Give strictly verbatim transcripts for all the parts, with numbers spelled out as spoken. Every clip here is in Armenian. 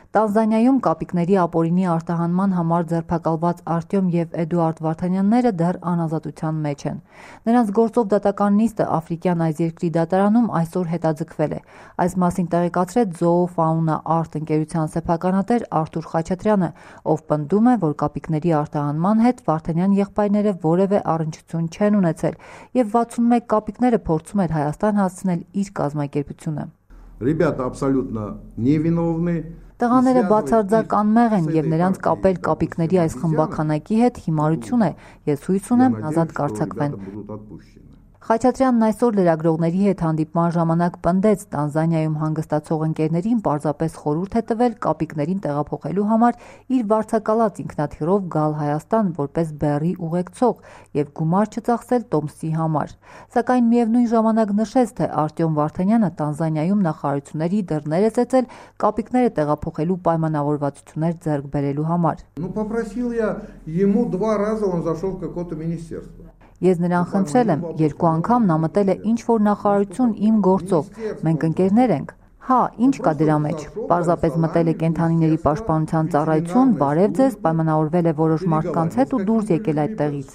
Տանզանիայում կապիկների ապօրինի արտահանման համար ձերբակալված Արտյոմ և Էդուարդ Վարդանյանները դեռ անազատության մեջ են։ Նրանց գործով դատական նիստը աֆրիկյան այս երկրի դատարանում այսօր հետաձգվել է։ Այս մասին տեղեկացրեց Զոոֆաունա Արտ ընկերության սեփականատեր Արթուր Խաչատրյանը, ով պնդում է, որ կապիկների արտահանման հետ Վարդանյան եղբայրները որևէ առնչություն չեն ունեցել և վաթսունմեկ կապիկները փորձում էր Հայաստան հասցնել իր կազմակերպությունը։ Ребята абсолютно невиновны. Տղաները բացարձակ անմեղ են և նրանց կապել կապիկների այս խմբաքանակի հետ հիմարություն է, ես հույս ունեմ ազատ կարձակվեն։ Խաչատրյանն այսօր լրագրողների հետ հանդիպման ժամանակ պնդեց Տանզանիայում հանգստացող ընկերներին պարզապես խորհուրդ է տվել կապիկներին տեղափոխելու համար իր վարձակալած ինքնաթիռով գալ Հայաստան որպես բեռի ուղեկցող և գումար չծախսել տոմսի համար։ Սակայն միևնույն ժամանակ նշեց, թե Արտյոմ Վարդանյանը Տանզանիայում նախարարությունների դռներ է ծեծել կապիկները տեղափոխելու պայմանավորվածություններ ձեռք բերելու համար։ Ну попросил я ему два раза, он зашел в какое-то министерство. Ես նրան խնդրել եմ, երկու անգամ նա մտել է ինչ-որ նախարարություն իմ գործով, մենք ընկերներ ենք։ Հա, ինչ կա դրա մեջ, պարզապես մտել է կենդանիների պաշտպանության ծառայություն, բարև ձեզ, պայմանավորվել է որոշ մարդկանց հետ ու դուրս եկել այդտեղից։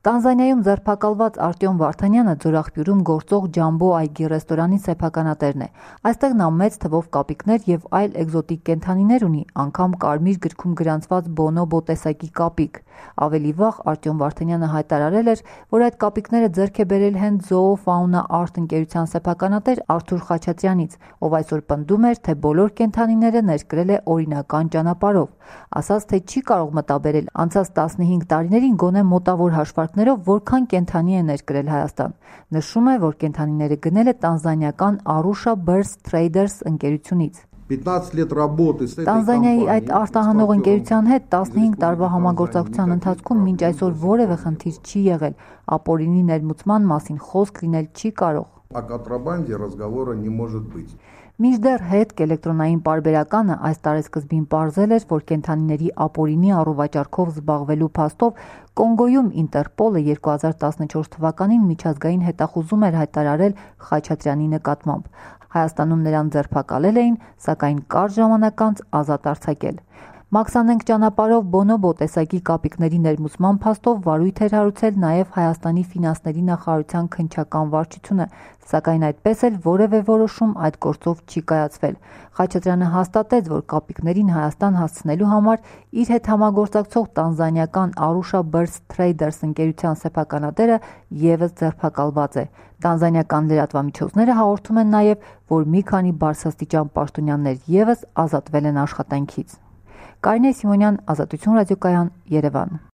Տանզանիայում ձերբակալված Արտյոմ Վարդանյանը Ձորախբյուրում գործող Ջամբո այգի ռեստորանի սեփականատերն է։ Այստեղ նա մեծ թվով կապիկներ և այլ էկզոտիկ կենդանիներ ունի, անգամ կարմիր գրքում գրանցված բոնոբո տեսակի կապիկ։ Ավելի վաղ Արտյոմ Վարդանյանը հայտարարել էր, որ այդ կապիկները ձեռք է բերել հենց Զոոֆաունա Արտ ընկերության սեփականատեր Արթուր Խաչատրյանից, ով այսօր պնդում էր, թե բոլոր կենդանիները ներկրել է օրինական ճանապարհով, ասաց, թե չի կարող մտաբերել անցած տասնհինգ տարիներին գոնե մոտավոր հաշվարկներով որքան կենդանի է ներկրել Հայաստան։ Նշում է, որ կենդանիները գնել է տանզանիական Arusha Birds Traders ընկերությունից։ Տանզանիայի այդ արտահանող ընկերության հետ տասնհինգ տարվա համագործակցության ընթացքում մինչ այսօր որևէ խնդիր չի եղել, ապօրինի ներմուծման մասին խոսք լինել չի կարող։ Մինչդեռ հետք էլեկտրոնային պարբերականը այս տարեսկզբին պարզել էր, որ կենդանիների ապօրինի առուվաճառքով զբաղվելու փաստով Կոնգոյում Ինտերպոլը երկու հազար տասնչորս թվականին միջազգային հետախուզում էր հայտարարել Խաչատրյանի նկատմամբ։ Հայաստանում նրան ձերբակալել էին, սակայն կարճ ժամանակ անց ազատ արձակել։ Մաքսանենգ ճանապարհով բոնոբո տեսակի կապիկների ներմուծման փաստով վարույթ էր հարուցել նաև Հայաստանի ֆինանսների նախարարության քննչական վարչությունը, սակայն այդպես էլ որևէ որոշում այդ գործով չի կայացվել։ Խաչատրյանը հաստատեց, որ կապիկներին Հայաստան հասցնելու համար իր հետ համագործակցող տանզանիական Arusha Birds Traders ընկերության սեփականատերը ևս ձերբակալված է։ Տանզանիական լրատվամիջոցները հաղորդում են նաև, որ մի քանի բարձրաստիճան պաշտոնյաներ ևս ազատվել են աշխատանքից։ Կարինե Սիմոնյան, Ազատություն ռադիոկայան, Երևան։